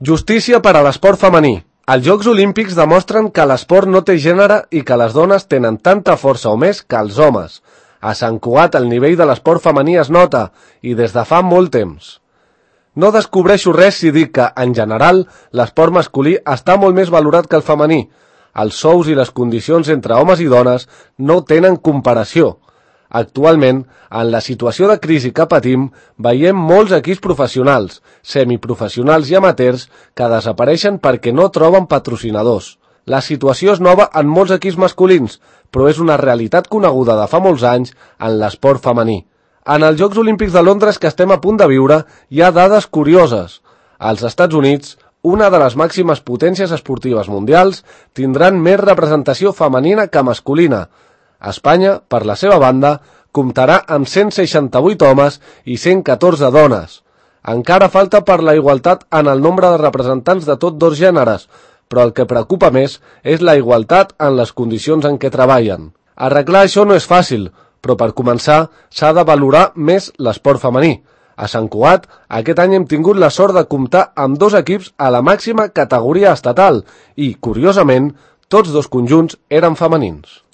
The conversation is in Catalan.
Justícia per a l'esport femení. Els Jocs Olímpics demostren que l'esport no té gènere i que les dones tenen tanta força o més que els homes. A Sant Cugat el nivell de l'esport femení es nota, i des de fa molt temps. No descobreixo res si dic que, en general, l'esport masculí està molt més valorat que el femení. Els sous i les condicions entre homes i dones no tenen comparació. Actualment, en la situació de crisi que patim, veiem molts equips professionals, semiprofessionals i amateurs que desapareixen perquè no troben patrocinadors. La situació és nova en molts equips masculins, però és una realitat coneguda de fa molts anys en l'esport femení. En els Jocs Olímpics de Londres que estem a punt de viure, hi ha dades curioses. Als Estats Units, una de les màximes potències esportives mundials, tindran més representació femenina que masculina. Espanya, per la seva banda, comptarà amb 168 homes i 114 dones. Encara falta per la igualtat en el nombre de representants de tots dos gèneres, però el que preocupa més és la igualtat en les condicions en què treballen. Arreglar això no és fàcil, però per començar s'ha de valorar més l'esport femení. A Sant Cugat, aquest any hem tingut la sort de comptar amb dos equips a la màxima categoria estatal i, curiosament, tots dos conjunts eren femenins.